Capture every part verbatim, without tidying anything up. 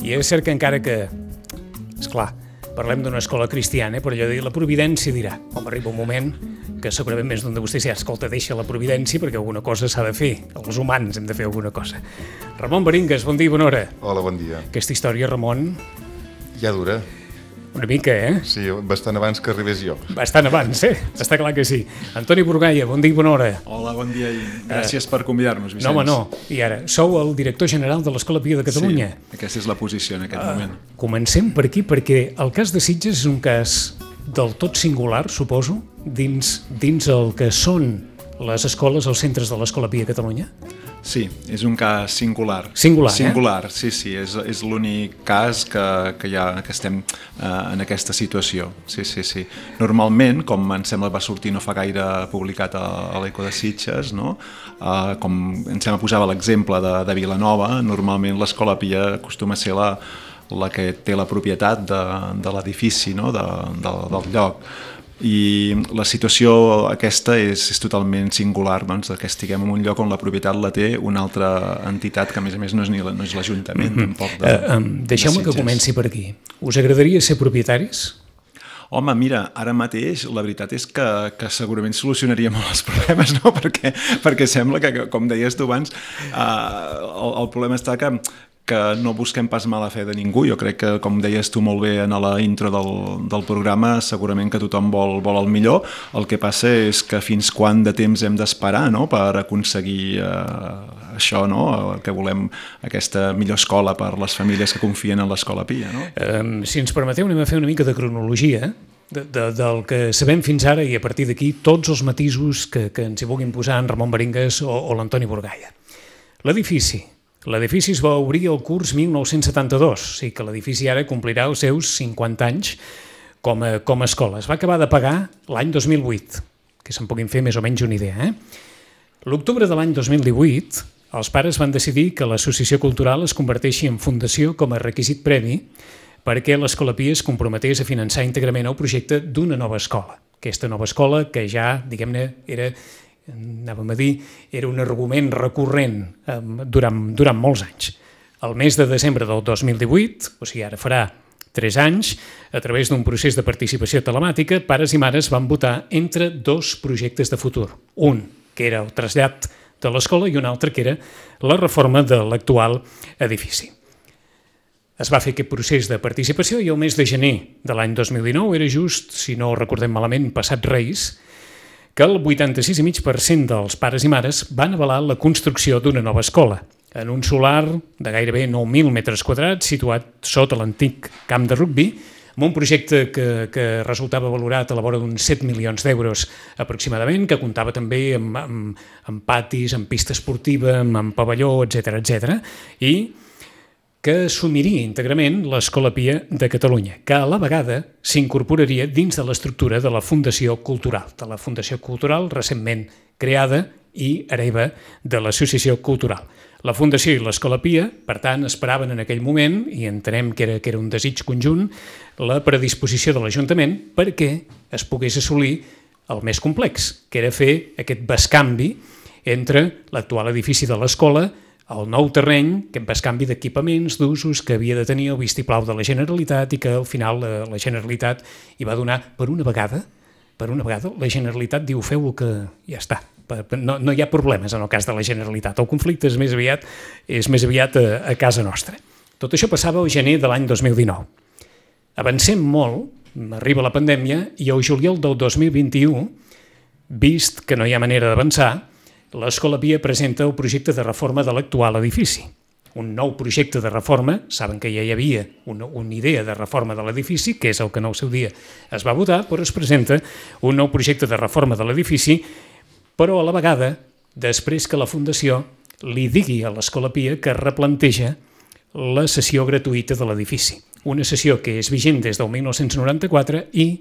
I és cert que encara que, esclar, parlem d'una escola cristiana, però allò de dir, la providència dirà, home, arriba un moment que segurament més d'un de vostès ja, escolta, deixa la providència perquè alguna cosa s'ha de fer, els humans hem de fer alguna cosa. Ramon Baringas, bon dia i bona hora. Hola, bon dia. Aquesta història, Ramon... Ja dura. Una mica, eh? Sí, bastant abans que arribés jo. Bastant abans, eh? Està clar que sí. Antoni Burgaia, bon dia i bona hora. Hola, bon dia i gràcies uh, per convidar-nos, Vicenç. No, home, no. I ara, sou el director general de l'Escola Pia de Catalunya. Sí, aquesta és la posició en aquest uh, moment. Comencem per aquí, perquè el cas de Sitges és un cas del tot singular, suposo, dins, dins el que són les escoles, els centres de l'Escola Pia de Catalunya. Sí, és un cas singular. Singular, Singular, eh? sí, sí, és, és l'únic cas que, que, ja, que estem eh, en aquesta situació. Sí, sí, sí. Normalment, com em sembla va sortir no fa gaire publicat a, a l'Eco de Sitges, no? eh, com em sembla posava l'exemple de, de Vilanova, normalment l'Escola Pia acostuma a ser la, la que té la propietat de, de l'edifici, no? de, de, del lloc. I la situació aquesta és, és totalment singular, doncs, que estiguem en un lloc on la propietat la té una altra entitat que a més a més no és, ni la, no és l'Ajuntament, mm-hmm. tampoc de, uh, um, deixeu-me que comenci per aquí. Us agradaria ser propietaris? Home, mira, ara mateix la veritat és que, que segurament solucionaria molt els problemes, no? perquè, perquè sembla que, com deies tu abans, uh, el, el problema està que que no busquem pas mala fe de ningú. Jo crec que, com deies tu molt bé en la intro del, del programa, segurament que tothom vol, vol el millor. El que passa és que fins quan de temps hem d'esperar, no?, per aconseguir eh, això, no?, el que volem, aquesta millor escola per les famílies que confien en l'Escola Pia, no? Um, si ens permeteu, anem a fer una mica de cronologia de, de, del que sabem fins ara i a partir d'aquí tots els matisos que, que ens hi vulguin posar en Ramon Baringas o, o l'Antoni Burgaia. L'edifici. L'edifici es va obrir el curs mil nou-cents setanta-dos, o sigui que l'edifici ara complirà els seus cinquanta anys com a, com a escola. Es va acabar de pagar l'any dos mil vuit, que se'n puguin fer més o menys una idea. Eh? L'octubre de l'any dos mil divuit, els pares van decidir que l'associació cultural es converteixi en fundació com a requisit previ perquè l'Escola Pia es comprometés a finançar íntegrament el projecte d'una nova escola. Aquesta nova escola que ja, diguem-ne, era... anàvem a dir, era un argument recurrent eh, durant, durant molts anys. El mes de desembre del dos mil divuit, o sigui, ara farà tres anys, a través d'un procés de participació telemàtica, pares i mares van votar entre dos projectes de futur. Un, que era el trasllat de l'escola, i un altre, que era la reforma de l'actual edifici. Es va fer aquest procés de participació i el mes de gener de l'any dos mil dinou era just, si no recordem malament, passat Reis, que el vuitanta-sis coma cinc per cent dels pares i mares van avalar la construcció d'una nova escola, en un solar de gairebé nou mil metres quadrats situat sota l'antic camp de rugbi, amb un projecte que, que resultava valorat a la vora d'uns set milions d'euros aproximadament, que comptava també amb, amb, amb patis, amb pista esportiva, amb, amb pavelló, etcètera, etcètera, i que assumiria íntegrament l'Escola Pia de Catalunya, que a la vegada s'incorporaria dins de l'estructura de la Fundació Cultural, de la Fundació Cultural recentment creada i hereva de l'Associació Cultural. La Fundació i l'Escola Pia, per tant, esperaven en aquell moment, i entenem que era, que era un desig conjunt, la predisposició de l'Ajuntament perquè es pogués assolir el més complex, que era fer aquest bescanvi entre l'actual edifici de l'escola, el nou terreny, que en bescanvi d'equipaments, d'usos que havia de tenir el vistiplau de la Generalitat i que al final la, la Generalitat hi va donar per una vegada, per una vegada la Generalitat diu feu el que ja està, no, no hi ha problemes en el cas de la Generalitat, el conflicte és més aviat, és més aviat a, a casa nostra. Tot això passava al gener de l'any dos mil dinou. Avancem molt, arriba la pandèmia i al juliol del dos mil vint-i-u, vist que no hi ha manera d'avançar, l'Escola Pia presenta el projecte de reforma de l'actual edifici. Un nou projecte de reforma, saben que ja hi havia una, una idea de reforma de l'edifici, que és el que en el seu dia es va votar, però es presenta un nou projecte de reforma de l'edifici, però a la vegada, després que la Fundació li digui a l'Escola Pia que replanteja la cessió gratuïta de l'edifici. Una cessió que és vigent des del mil nou-cents noranta-quatre i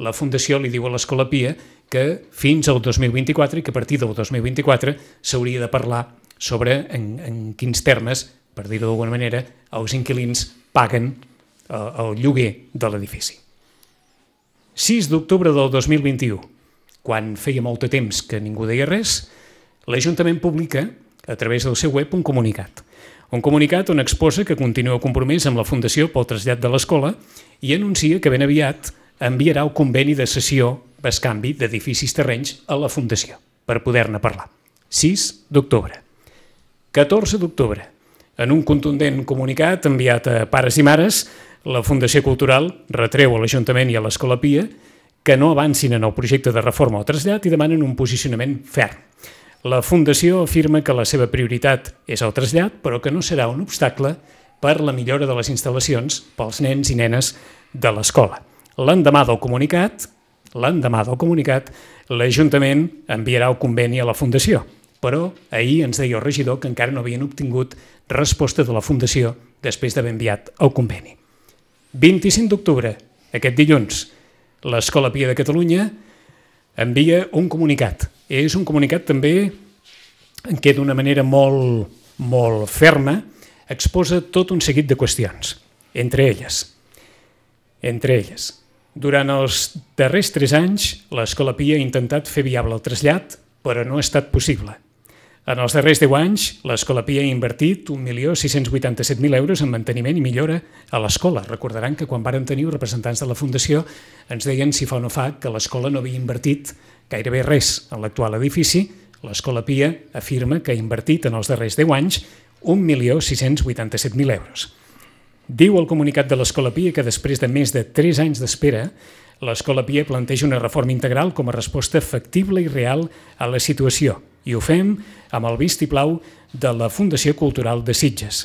la Fundació li diu a l'Escola Pia que fins al dos mil vint-i-quatre i que a partir del dos mil vint-i-quatre s'hauria de parlar sobre en, en quins termes, per dir-ho d'alguna manera, els inquilins paguen el, el lloguer de l'edifici. sis d'octubre del dos mil vint-i-u, quan feia molt de temps que ningú deia res, l'Ajuntament publica, a través del seu web, un comunicat. Un comunicat on exposa que continua compromès amb la Fundació pel trasllat de l'escola i anuncia que ben aviat enviarà el conveni de cessió bescanvi d'edificis terrenys a la Fundació per poder-ne parlar. sis d'octubre. catorze d'octubre. En un contundent comunicat enviat a pares i mares, la Fundació Cultural retreu a l'Ajuntament i a l'Escola Pia que no avancin en el projecte de reforma o trasllat i demanen un posicionament ferm. La Fundació afirma que la seva prioritat és el trasllat, però que no serà un obstacle per la millora de les instal·lacions pels nens i nenes de l'escola. L'endemà del comunicat, l'endemà del comunicat, l'Ajuntament enviarà el conveni a la Fundació, però ahir ens deia el regidor que encara no havien obtingut resposta de la Fundació després d'haver enviat el conveni. vint-i-cinc d'octubre, aquest dilluns, l'Escola Pia de Catalunya envia un comunicat. És un comunicat també en què d'una manera molt, molt ferma exposa tot un seguit de qüestions, entre elles. Entre elles. Durant els darrers tres anys, l'Escola Pia ha intentat fer viable el trasllat, però no ha estat possible. En els darrers deu anys, l'Escola Pia ha invertit un milió sis-cents vuitanta-set mil euros en manteniment i millora a l'escola. Recordaran que quan varen tenir representants de la Fundació ens deien si fa o no fa que l'escola no havia invertit gairebé res en l'actual edifici. L'Escola Pia afirma que ha invertit en els darrers deu anys un milió sis-cents vuitanta-set mil euros. Diu el comunicat de l'Escola Pia que després de més de tres anys d'espera, l'Escola Pia planteja una reforma integral com a resposta factible i real a la situació i ho fem amb el vistiplau de la Fundació Cultural de Sitges.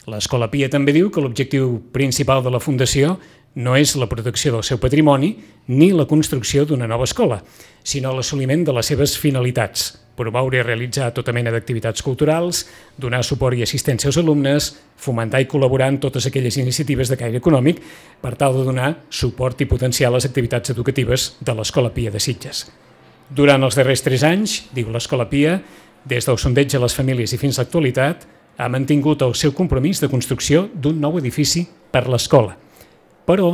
L'Escola Pia també diu que l'objectiu principal de la Fundació no és la protecció del seu patrimoni ni la construcció d'una nova escola, sinó l'assoliment de les seves finalitats, promoure i realitzar tota mena d'activitats culturals, donar suport i assistència als alumnes, fomentar i col·laborar en totes aquelles iniciatives de caire econòmic per tal de donar suport i potenciar les activitats educatives de l'Escola Pia de Sitges. Durant els darrers tres anys, diu l'Escola Pia, des del sondeig a les famílies i fins a l'actualitat, ha mantingut el seu compromís de construcció d'un nou edifici per l'escola. Però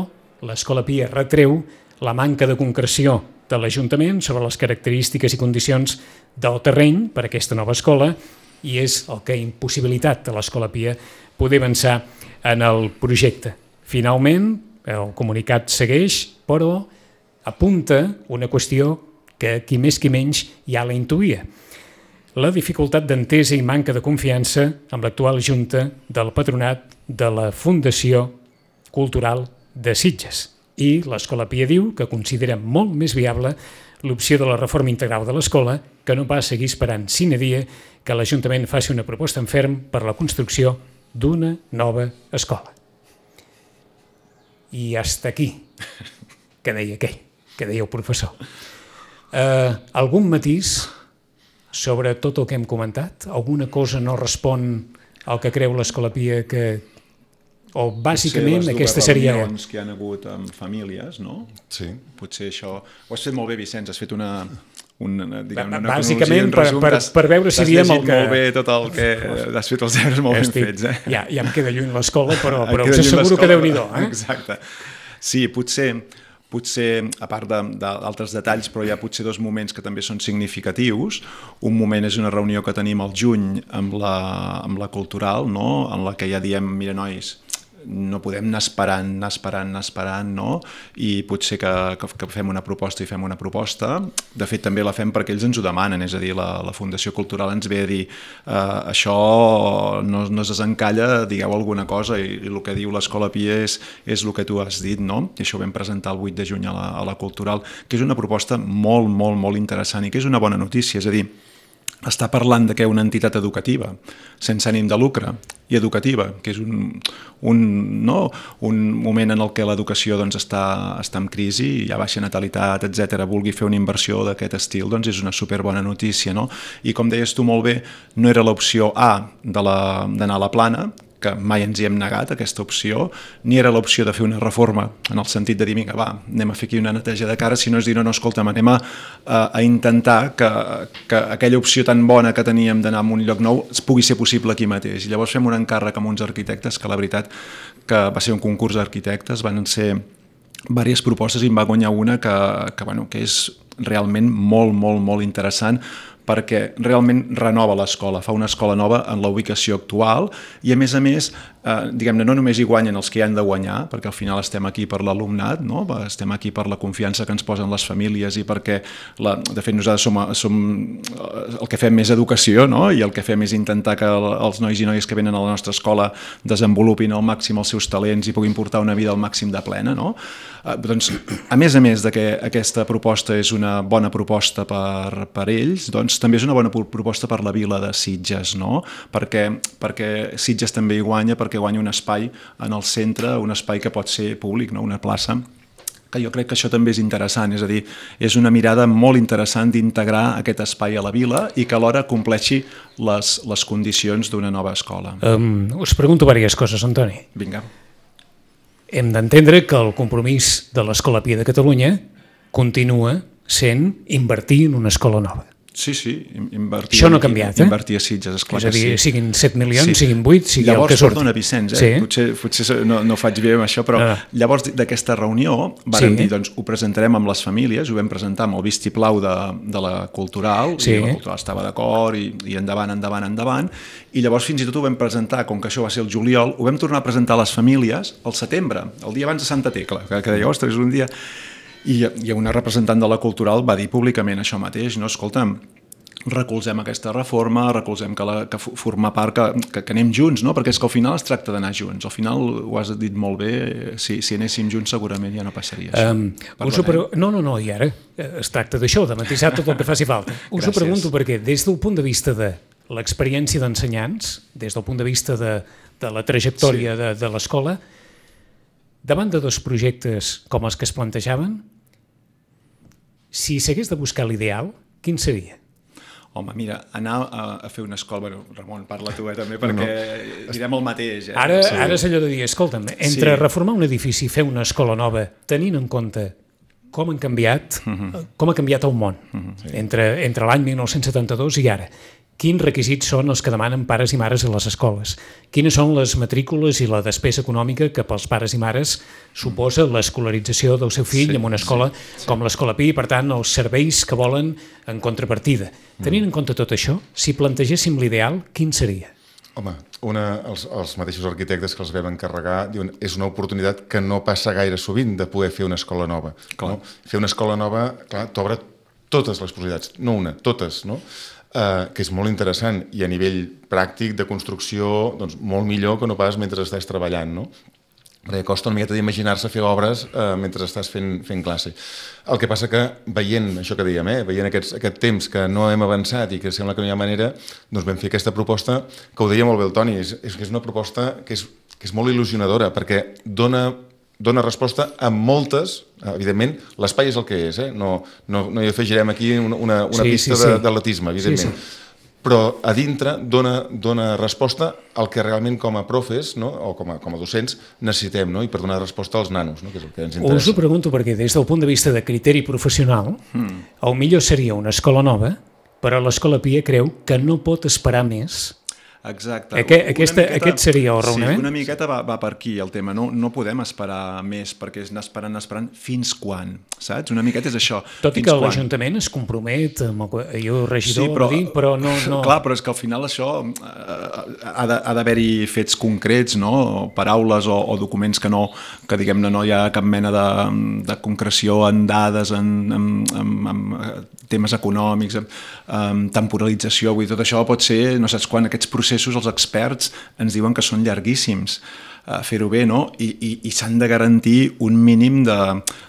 l'Escola Pia retreu la manca de concreció de l'Ajuntament sobre les característiques i condicions del terreny per a aquesta nova escola i és el que ha impossibilitat a l'Escola Pia poder avançar en el projecte. Finalment, el comunicat segueix, però apunta una qüestió que qui més qui menys ja la intuïa. La dificultat d'entesa i manca de confiança amb l'actual Junta del Patronat de la Fundació Cultural de Sitges. I l'Escola Pia diu que considera molt més viable l'opció de la reforma integral de l'escola que no pas seguir esperant sine die que l'Ajuntament faci una proposta en ferm per la construcció d'una nova escola. I hasta aquí, que deia aquell, que deia el professor. Uh, algun matís sobre tot el que hem comentat? Alguna cosa no respon al que creu l'Escola Pia que... o bàsicament aquesta seria... Potser les dues reunions que hi ha hagut amb famílies, no? Sí. Potser això... Ho has fet molt bé, Vicenç, has fet una... una, diguem, una bàsicament per, per, per veure si diem el que... T'has llegit molt bé tot el que... Has fet els deures molt ben fets, eh? Ja, ja em queda lluny l'escola, però, però us asseguro que Déu-n'hi-do, eh? Exacte. Sí, potser... potser, a part d'altres de, detalls, però hi ha potser dos moments que també són significatius. Un moment és una reunió que tenim al juny amb la, amb la cultural, no? En la que ja diem, mira, nois, no podem anar esperant, anar esperant, anar esperant, no? I potser que, que, que fem una proposta i fem una proposta. De fet, també la fem perquè ells ens ho demanen, és a dir, la, la Fundació Cultural ens ve a dir eh, això no, no es desencalla, digueu alguna cosa, i, i el que diu l'Escola Pia és, és el que tu has dit, no? I això ho vam presentar el vuit de juny a la, a la Cultural, que és una proposta molt, molt, molt interessant i que és una bona notícia, és a dir, està parlant de que una entitat educativa, sense ànim de lucre, i educativa, que és un, un, no? un moment en el què l'educació doncs, està, està en crisi, hi ha baixa natalitat, etcètera, vulgui fer una inversió d'aquest estil, doncs és una superbona notícia, no? I com deies tu molt bé, no era l'opció A d'anar a la Plana, que mai ens hi hem negat, aquesta opció, ni era l'opció de fer una reforma, en el sentit de dir, vinga, va, anem a fer aquí una neteja de cara, sinó és dir, no, no, escolta'm, anem a, a intentar que, que aquella opció tan bona que teníem d'anar a un lloc nou es pugui ser possible aquí mateix. I llavors fem un encàrrec amb uns arquitectes, que la veritat que va ser un concurs d'arquitectes, van ser diverses propostes i en va guanyar una que, que, bueno, que és realment molt, molt, molt interessant perquè realment renova l'escola, fa una escola nova en la ubicació actual i a més a més, eh, diguem-ne, no només hi guanyen els que hi han de guanyar, perquè al final estem aquí per l'alumnat, no? Estem aquí per la confiança que ens posen les famílies i perquè, la, de fet, nosaltres som, som el que fem més educació, no? I el que fem és intentar que els nois i noies que venen a la nostra escola desenvolupin al màxim els seus talents i puguin portar una vida al màxim de plena, no? Eh, doncs, a més a més de que aquesta proposta és una bona proposta per, per ells, doncs també és una bona proposta per la vila de Sitges, no? Perquè, perquè Sitges també hi guanya, perquè guanya un espai en el centre, un espai que pot ser públic, no? Una plaça, que jo crec que això també és interessant, és a dir, és una mirada molt interessant d'integrar aquest espai a la vila i que alhora compleixi les, les condicions d'una nova escola. Um, us pregunto diverses coses, Antoni. Vinga. Hem d'entendre que el compromís de l'Escola Pia de Catalunya continua sent invertir en una escola nova. Sí, sí, invertir, això no ha canviat, eh? Invertir a Sitges, esclar és a dir, que sí. Siguin set milions, sí. siguin vuit, sigui llavors, el que surti. Perdona, Vicenç, eh? Sí. potser, potser no, no faig bé amb això, però ah. llavors d'aquesta reunió vàrem sí. dir, doncs ho presentarem amb les famílies, ho vam presentar amb el vistiplau de, de la Cultural, sí. i la Cultural estava d'acord, i, i endavant, endavant, endavant, i llavors fins i tot ho vam presentar, com que això va ser el juliol, ho vam tornar a presentar a les famílies al setembre, el dia abans de Santa Tecla, que, que deia, ostres, un dia... I, i una representant de la Cultural va dir públicament això mateix, no? Escolta'm, recolzem aquesta reforma, recolzem que, la, que formar part, que, que, que anem junts, no? Perquè és que al final es tracta d'anar junts. Al final, ho has dit molt bé, si, si anéssim junts segurament ja no passaria això. Um, us ho pre... No, no, no, i ara es tracta d'això, de matisar tot el que faci falta. Us Gràcies. Ho pregunto perquè des del punt de vista de l'experiència d'ensenyants, des del punt de vista de, de la trajectòria sí. de, de l'escola, davant de dos projectes com els que es plantejaven, si s'hagués de buscar l'ideal, quin seria? Home, mira, anar a, a fer una escola... Bueno, Ramon, parla tu eh, també, perquè no. direm el mateix. Eh? Ara, sí. ara és allò de dir, escolta'm, entre sí. reformar un edifici i fer una escola nova, tenint en compte com han canviat, uh-huh. com ha canviat el món uh-huh. sí. entre, entre l'any mil nou-cents setanta-dos i ara, quins requisits són els que demanen pares i mares a les escoles? Quines són les matrícules i la despesa econòmica que pels pares i mares suposa l'escolarització del seu fill sí, en una escola sí, sí. com l'Escola Pi i, per tant, els serveis que volen en contrapartida? Mm. Tenint en compte tot això, si plantegéssim l'ideal, quin seria? Home, una, els, els mateixos arquitectes que els vam encarregar diuen és una oportunitat que no passa gaire sovint de poder fer una escola nova. No? Fer una escola nova, clar, t'obre totes les possibilitats, no una, totes, no? Uh, que és molt interessant i a nivell pràctic de construcció doncs, molt millor que no pas mentre estàs treballant, no? Perquè costa una miqueta d'imaginar-se fer obres uh, mentre estàs fent, fent classe. El que passa que veient això que dèiem, eh, veient aquests, aquest temps que no hem avançat i que sembla que no hi ha manera, doncs vam fer aquesta proposta, que ho deia molt bé el Toni, és, és que és una proposta que és, que és molt il·lusionadora perquè dona dona resposta a moltes, evidentment, l'espai és el que és, eh? no, no, no hi afegirem aquí una, una, una sí, pista sí, sí. d'atletisme, evidentment, sí, sí. però a dintre dona, dona resposta al que realment com a profes, no? o com a, com a docents necessitem, no? I per donar resposta als nanos, no? Que és el que ens interessa. Us ho pregunto perquè des del punt de vista de criteri professional, hmm. el millor seria una escola nova, però l'Escola Pia creu que no pot esperar més. Exacte. Aquest, aquesta, miqueta, aquest seria el raonament? Sí, una miqueta va, va per aquí el tema. No, no podem esperar més perquè és anar esperant, anar esperant fins quan, saps? Una miqueta és això. Tot i que l'Ajuntament es compromet amb el jo regidor, sí, però, dir, però no, no... Clar, però és que al final això eh, ha d'haver-hi fets concrets, no? Paraules o, o documents que no, que diguem-ne no hi ha cap mena de, de concreció en dades, en, en, en, en temes econòmics, en, en temporalització, vull dir, tot això pot ser, no saps quan, aquests processos els experts ens diuen que són llarguíssims a fer-ho bé, no? I, i, i s'han de garantir un mínim de,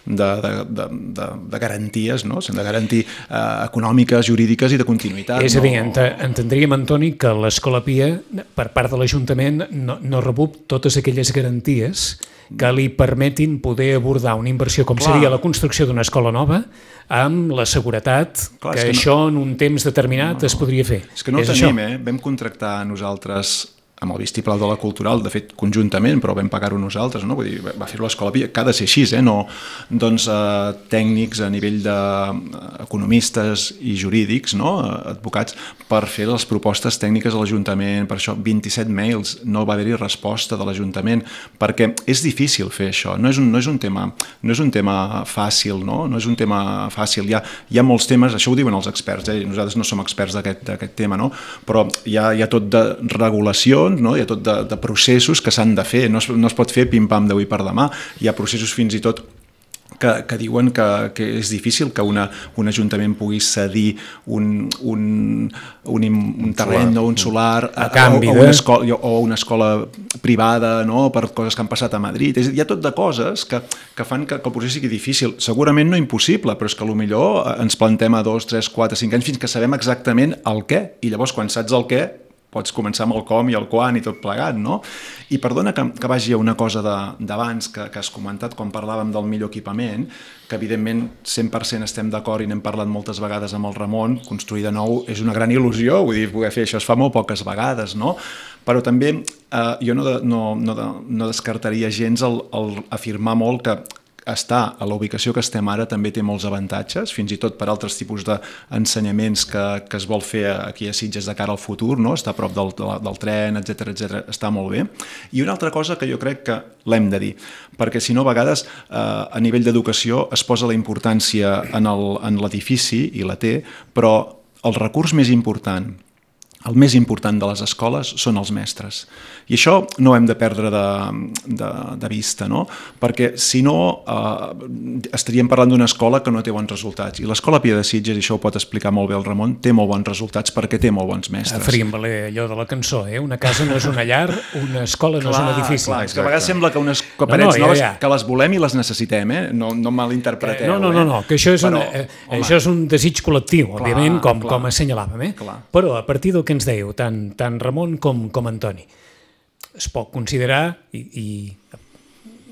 de, de, de, de, de garanties, no? S'han de garantir eh, econòmiques, jurídiques i de continuïtat. És a dir, no? ent entendríem, Antoni, que l'Escola Pia, per part de l'Ajuntament, no, no rebup totes aquelles garanties que li permetin poder abordar una inversió com Clar. seria la construcció d'una escola nova amb la seguretat Clar, que, que això no... en un temps determinat no, no. es podria fer. És que no és ho tenim, això. eh? Vam contractar nosaltres amb el vistiplau de la cultural, de fet conjuntament, però vam pagar-ho nosaltres, no? Vull dir, va fer-ho l'Escola Pia, que ha de ser així, eh? No, doncs eh, tècnics a nivell d'economistes i jurídics, no? Advocats, per fer les propostes tècniques a l'Ajuntament, per això vint-i-set mails, no va haver-hi resposta de l'Ajuntament, perquè és difícil fer això, no és un, no és un tema, no és un tema fàcil, no? No és un tema fàcil, hi ha, hi ha molts temes, això ho diuen els experts, eh? Nosaltres no som experts d'aquest tema, no? Però hi ha, hi ha tot de regulacions, no? Hi ha tot de, de processos que s'han de fer, no es, no es pot fer pim-pam d'avui per demà, hi ha processos fins i tot que, que diuen que, que és difícil que una, un ajuntament pugui cedir un, un, un, un terreny o un solar a, a, canvi, o, o, una escola, o una escola privada, no? Per coses que han passat a Madrid. És, hi ha tot de coses que, que fan que, que el procés sigui difícil. Segurament no impossible, però és que potser ens plantem a dos, tres, quatre, cinc anys fins que sabem exactament el què, i llavors quan saps el què pots començar amb el com i el quan i tot plegat, no? I perdona que, que vagi a una cosa d'abans que, que has comentat quan parlàvem del millor equipament, que evidentment cent per cent estem d'acord i n'hem parlat moltes vegades amb el Ramon, construir de nou és una gran il·lusió, vull dir, poder fer això es fa molt poques vegades, no? Però també eh, jo no, de, no, no, de, no descartaria gens el, el afirmar molt que estar a la ubicació que estem ara també té molts avantatges, fins i tot per altres tipus d'ensenyaments que, que es vol fer aquí a Sitges de cara al futur, no? Estar a prop del, del tren, etcètera, etcètera, està molt bé. I una altra cosa que jo crec que l'hem de dir, perquè si no a vegades eh, a nivell d'educació es posa la importància en l'edifici, i la té, però el recurs més important, el més important de les escoles són els mestres. I això no ho hem de perdre de, de, de vista, no? Perquè si no eh, estaríem parlant d'una escola que no té bons resultats. I l'Escola Pia de Sitges, i això ho pot explicar molt bé el Ramon, té molt bons resultats perquè té molt bons mestres. Faríem valer allò de la cançó, eh? Una casa no és una llar, una escola no clar, és un edifici. Clar, és que a vegades sembla que unes parets no, no, noves, ja, ja. que les volem i les necessitem, eh? No, no malinterpreteu. No, no, no, no, que això és, Però, una, eh, això és un desig col·lectiu, clar, òbviament, com, clar, com assenyalàvem, eh? Clar. Però a partir del que ens dèieu, tant, tant Ramon com, com Antoni, es pot considerar, i, i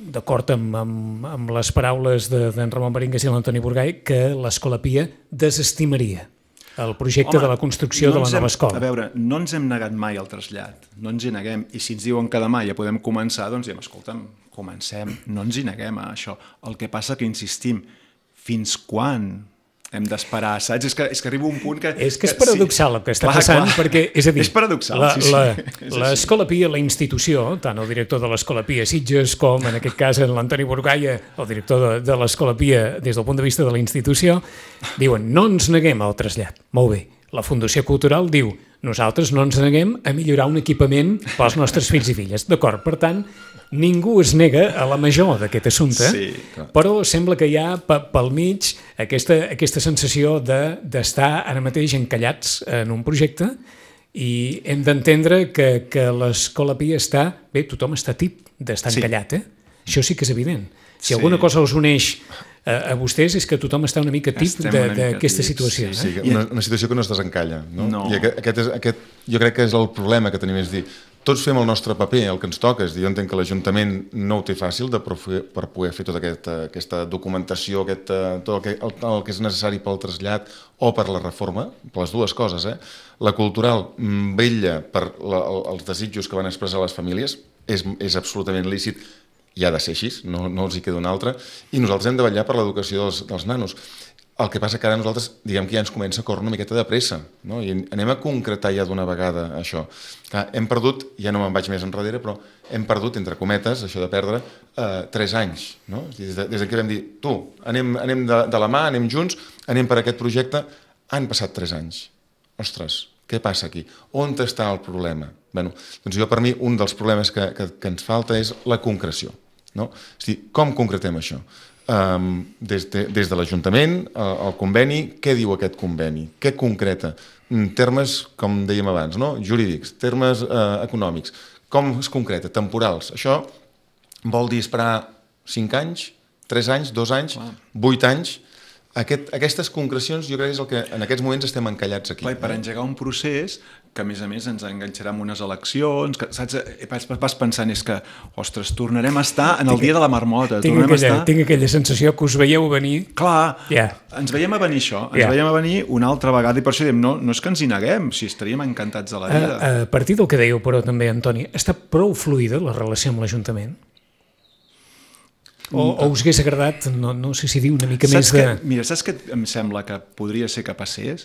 d'acord amb, amb, amb les paraules d'en Ramon Baringas i l'Antoni Burgai, que l'Escola Pia desestimaria el projecte Home, de la construcció no de la nova hem, escola. A veure, no ens hem negat mai al trasllat, no ens hi neguem, i si ens diuen que demà ja podem començar, doncs diem, escolta'm, comencem, no ens hi neguem a això. El que passa que insistim, fins quan hem d'esperar, saps? És que, és que arriba un punt que... És que és paradoxal sí. el que està clar, passant, clar. perquè, és a dir, és paradoxal, la, sí, sí. la, l'Escola Pia, la institució, tant el director de l'Escola Pia Sitges com, en aquest cas, l'Antoni Burgaia, el director de, de l'Escola Pia, des del punt de vista de la institució, diuen, no ens neguem al trasllat. Molt bé. La Fundació Cultural diu, nosaltres no ens neguem a millorar un equipament pels nostres fills i filles. D'acord, per tant, ningú es nega a la major d'aquest assumpte, sí, però sembla que hi ha pel mig aquesta, aquesta sensació d'estar de, ara mateix encallats en un projecte i hem d'entendre que, que l'Escola Pia està... Bé, tothom està tip d'estar sí. encallat, eh? Això sí que és evident. Si sí. alguna cosa us uneix a, a vostès és que tothom està una mica tip d'aquesta situació. Sí, sí, una, una situació que no es desencalla. No? No. I aquest, aquest és, aquest, jo crec que és el problema que tenim, és dir, tots fem el nostre paper, el que ens toca, és dir, jo entenc que l'Ajuntament no ho té fàcil de per, per poder fer tota aquesta, aquesta documentació, aquest, tot el que, el, el que és necessari pel trasllat o per la reforma, per les dues coses. Eh? La cultural vetlla per la, els desitjos que van expressar les famílies, és, és absolutament lícit, i ha de ser així, no, no els hi queda una altra, i nosaltres hem de vetllar per l'educació dels, dels nanos. El que passa que ara nosaltres, diguem que ja ens comença a córrer una miqueta de pressa, no? I anem a concretar ja d'una vegada això. Clar, hem perdut, ja no me'n vaig més enrere, però hem perdut, entre cometes, això de perdre, eh, tres anys. No? Des, de, des que vam dir, tu, anem, anem de, de la mà, anem junts, anem per aquest projecte, han passat tres anys. Ostres, què passa aquí? On està el problema? Bé, doncs jo, per mi, un dels problemes que, que, que ens falta és la concreció. No? És dir, com concretem això? Um, des de, des de l'Ajuntament, el, el conveni, què diu aquest conveni? Què concreta? Termes, com dèiem abans, no? Jurídics, termes eh, econòmics. Com es concreta? Temporals. Això vol dir esperar cinc anys, tres anys, dos anys, vuit anys. Aquest, aquestes concrecions jo crec que és el que en aquests moments estem encallats aquí. Clar, per engegar un procés que a més a més ens enganxarà amb unes eleccions, que, saps? Vas, vas pensant, és que, ostres, tornarem a estar en el tinc, dia de la marmota. Tinc aquella, estar... tinc aquella sensació que us veieu venir. Clar, yeah. ens veiem a venir això, ens yeah. veiem a venir una altra vegada i per això diem, no, no és que ens hi neguem, si estaríem encantats de la vida. A, a partir del que dèieu, però també, Antoni, està prou fluida la relació amb l'Ajuntament? O, o us hagués agradat, no, no sé si dir una mica saps més de... Que, mira, saps què em sembla que podria ser que passés?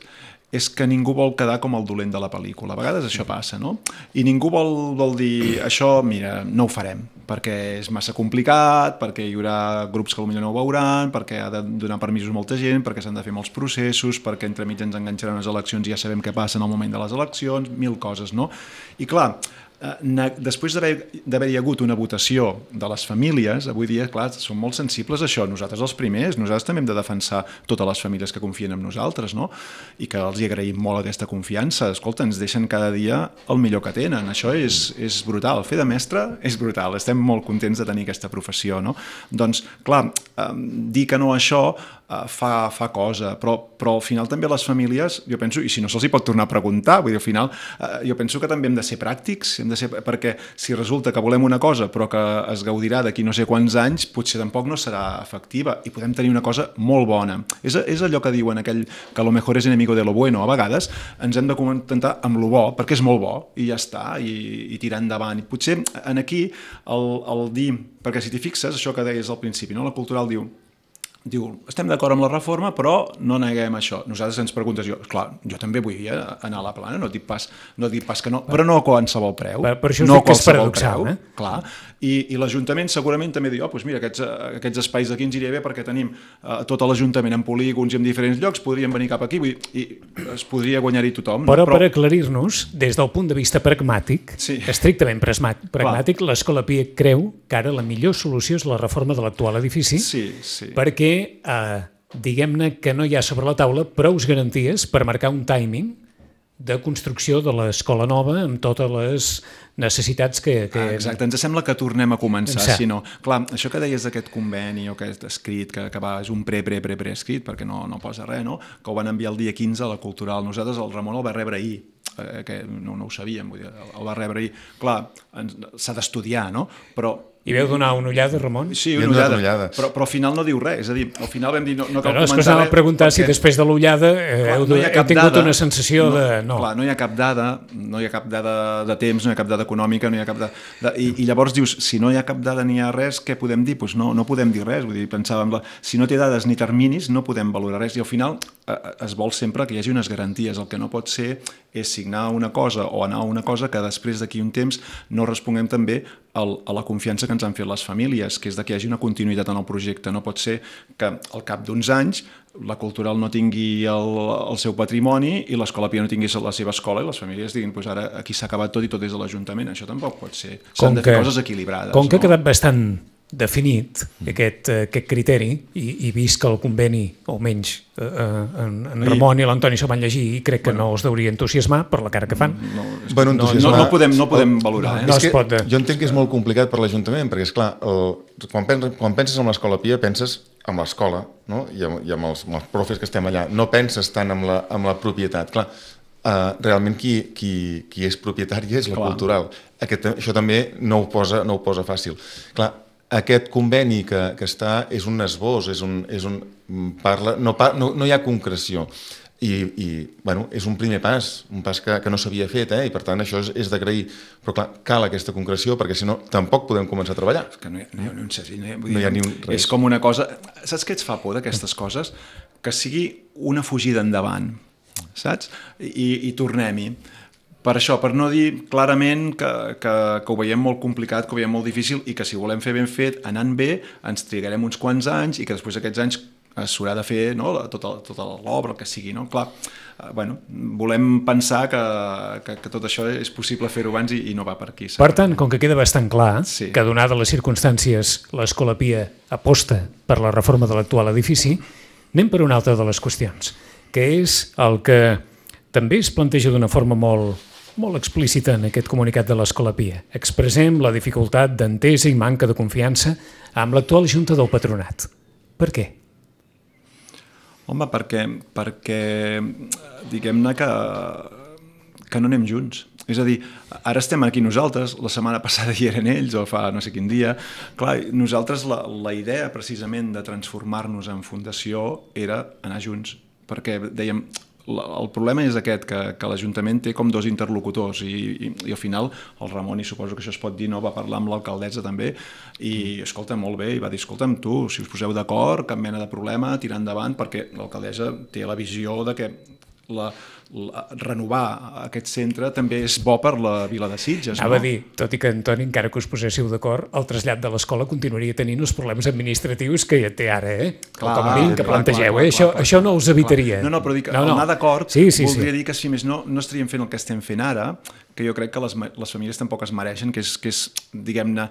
És que ningú vol quedar com el dolent de la pel·lícula. A vegades això passa, no? I ningú vol, vol dir, això, mira, no ho farem, perquè és massa complicat, perquè hi haurà grups que potser no ho veuran, perquè ha de donar permisos a molta gent, perquè s'han de fer molts processos, perquè entremig ens enganxaran les eleccions i ja sabem què passa en el moment de les eleccions, mil coses, no? I clar, després d'haver-hi hagut una votació de les famílies, avui dia, clar, som molt sensibles a això, nosaltres els primers, nosaltres també hem de defensar totes les famílies que confien en nosaltres, no? I que els hi agraïm molt aquesta confiança. Escolta, ens deixen cada dia el millor que tenen, això és, és brutal, fer de mestre és brutal, estem molt contents de tenir aquesta professió, no? Doncs, clar, dir que no a això fa, fa cosa, però, però al final també les famílies, jo penso, i si no se'ls hi pot tornar a preguntar, vull dir, al final jo penso que també hem de ser pràctics, hem de ser, perquè si resulta que volem una cosa però que es gaudirà d'aquí no sé quants anys, potser tampoc no serà efectiva i podem tenir una cosa molt bona. És, és allò que diuen aquell que lo mejor es enemigo de lo bueno. A vegades ens hem de contentar amb lo bo, perquè és molt bo i ja està, i, i tirar endavant. I potser en aquí el, el dir, perquè si t'hi fixes, això que deies al principi, no? La cultural diu diu, estem d'acord amb la reforma, però no neguem això. Nosaltres ens preguntes, jo, clar, jo també vull anar a la plana, no dic pas, no dic pas que no, però no a qualsevol preu. Per, per això us no dic que és paradoxal, preu, eh? Clar, i, i l'Ajuntament segurament també diu, oh, doncs mira, aquests, aquests espais d'aquí ens iria bé perquè tenim uh, tot l'Ajuntament en polígons i en diferents llocs, podríem venir cap aquí, vull dir, i es podria guanyar-hi tothom. Però, no? Però per aclarir-nos, des del punt de vista pragmàtic, sí. estrictament pragmàtic, l'Escola Pia creu que ara la millor solució és la reforma de l'actual edifici, sí, sí. perquè eh, diguem-ne que no hi ha sobre la taula prou garanties per marcar un timing de construcció de l'escola nova amb totes les necessitats que... que... Ah, exacte, ens sembla que tornem a començar, si no... Clar, això que deies d'aquest conveni o aquest escrit, que, que va, és un pre, pre, pre, pre escrit, perquè no, no posa res, no? Que ho van enviar el dia quinze a la Cultural. Nosaltres el Ramon el va rebre ahir, eh, que no, no ho sabíem, vull dir, el va rebre ahir. Clar, s'ha d'estudiar, no? Però... I veu donar una ullada, Ramon? Sí, una ullada, ullada. Però, però al final no diu res, és a dir, al final vam dir no, no cal no, no, comentar res. No, és que us anava a preguntar perquè... si després de l'ullada eh, heu, no heu tingut dada, una sensació no, de... No. Clar, no hi ha cap dada, no hi ha cap dada de temps, no hi ha cap dada econòmica, no hi ha cap dada... De, i, I llavors dius, si no hi ha cap dada ni hi ha res, què podem dir? Pues no, no podem dir res, vull dir, pensàvem, la, si no té dades ni terminis, no podem valorar res, i al final eh, es vol sempre que hi hagi unes garanties, el que no pot ser és signar una cosa o anar a una cosa que després d'aquí un temps no responguem també el, a la confiança que ens han fet les famílies, que és de que hi hagi una continuïtat en el projecte. No pot ser que al cap d'uns anys la Cultural no tingui el, el seu patrimoni i l'Escola Pia no tingui la seva escola i les famílies diguin, pues ara aquí s'ha acabat tot i tot des de l'Ajuntament. Això tampoc pot ser. S'han de fer coses equilibrades. Com que no? ha quedat bastant definit aquest, aquest criteri i, i vist que el conveni, o menys eh, en, en Ramon i l'Antoni s'ho van llegir i crec que bueno, no els deuria entusiasmar per la cara que fan. No, no, bueno, no, no, no podem, no podem valorar. No, no eh? es pot... Jo entenc que és molt complicat per l'Ajuntament, perquè, esclar, el, quan, penses, quan penses en l'Escola Pia, penses en l'escola, no? I, amb, i amb, els, amb els profes que estem allà. No penses tant en la, en la propietat. Clar, uh, realment qui, qui, qui és propietari és la Clar. Cultural. Aquest, això també no ho posa, no ho posa fàcil. Clar, aquest conveni que, que està és un esbós, és un, és un, parla, no, no, no hi ha concreció. I, i bueno, és un primer pas, un pas que, que no s'havia fet, eh? I per tant això és, és d'agrair. Però clar, cal aquesta concreció perquè si no tampoc podem començar a treballar. És que no hi ha, no hi ha, no hi ha, no hi ha ni un res. És com una cosa... Saps què ets fa por d'aquestes coses? Que sigui una fugida endavant, saps? I, i tornem-hi. Per això, per no dir clarament que, que, que ho veiem molt complicat, que ho veiem molt difícil i que si ho volem fer ben fet, anant bé, ens trigarem uns quants anys i que després d'aquests anys s'haurà de fer, no, tota, tota l'obra, el que sigui, no? Clar, eh, bueno, volem pensar que, que, que tot això és possible fer-ho abans i, i no va per aquí. Per tant, com que queda bastant clar sí. que donada les circumstàncies l'Escola Pia aposta per la reforma de l'actual edifici, anem per una altra de les qüestions, que és el que també es planteja d'una forma molt, molt explícita en aquest comunicat de l'Escola Pia. Expressem la dificultat d'entesa i manca de confiança amb l'actual Junta del Patronat. Per què? Home, perquè, perquè diguem-ne que, que no anem junts. És a dir, ara estem aquí nosaltres, la setmana passada hi eren ells, o fa no sé quin dia. Clar, nosaltres la, la idea precisament de transformar-nos en fundació era anar junts, perquè dèiem, el problema és aquest, que, que l'Ajuntament té com dos interlocutors i, i, i al final el Ramon, i suposo que això es pot dir, no, va parlar amb l'alcaldessa també i escolta, molt bé, i va dir, escolta'm tu, si us poseu d'acord, cap mena de problema, tirar endavant, perquè l'alcaldessa té la visió de que la, la, renovar aquest centre també és bo per la vila de Sitges. Anava no? a dir, tot i que, Antoni, encara que us poséssiu d'acord, el trasllat de l'escola continuaria tenint els problemes administratius que ja té ara, eh? Clar, com a mínim que clar, plantegeu, clar, clar, eh? Això, clar, això no us evitaria. No, no, però dic, no, no. el anar d'acord sí, sí, voldria sí. dir que si més no, no estaríem fent el que estem fent ara, que jo crec que les, les famílies tampoc es mereixen, que és, que és diguem-ne,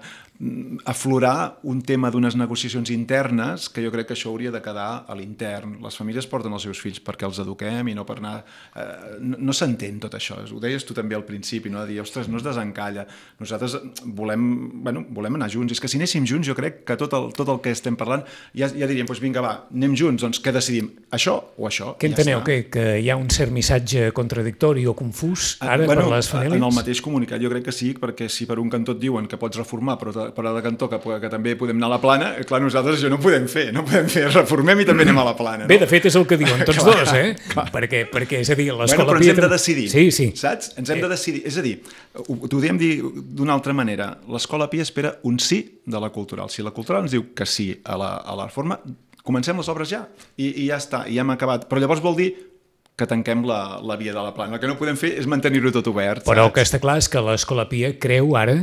aflorar un tema d'unes negociacions internes, que jo crec que això hauria de quedar a l'intern. Les famílies porten els seus fills perquè els eduquem i no per anar... Eh, no no s'entén tot això. Ho deies tu també al principi, no? De dir, ostres, no es desencalla. Nosaltres volem, bueno, volem anar junts. És que si anéssim junts, jo crec que tot el, tot el que estem parlant ja, ja diríem, doncs vinga, va, anem junts, doncs què decidim? Això o això? Què enteneu? Ja que, que hi ha un cert missatge contradictori o confús ara bueno, per les famílies? En el mateix comunicat jo crec que sí, perquè si per un cantó et diuen que pots reformar, però per a la cantó que, que també podem anar a la plana, clar, nosaltres això no podem fer, no podem fer, reformem i també anem a la plana. No? Bé, de fet és el que diuen tots clar, dos, eh? Clar. Perquè, perquè, és a dir, l'escola... Bueno, però ens hem de decidir, sí, sí. saps? Ens hem de decidir, és a dir, t'ho diem dir d'una altra manera, l'escola Pia espera un sí de la cultural. Si la cultural ens diu que sí a la, a la reforma, comencem les obres ja, i, i ja està, i ja hem acabat. Però llavors vol dir que tanquem la, la via de la plana. El que no podem fer és mantenir-ho tot obert. Però saps? el que està clar és que l'escola Pia creu ara,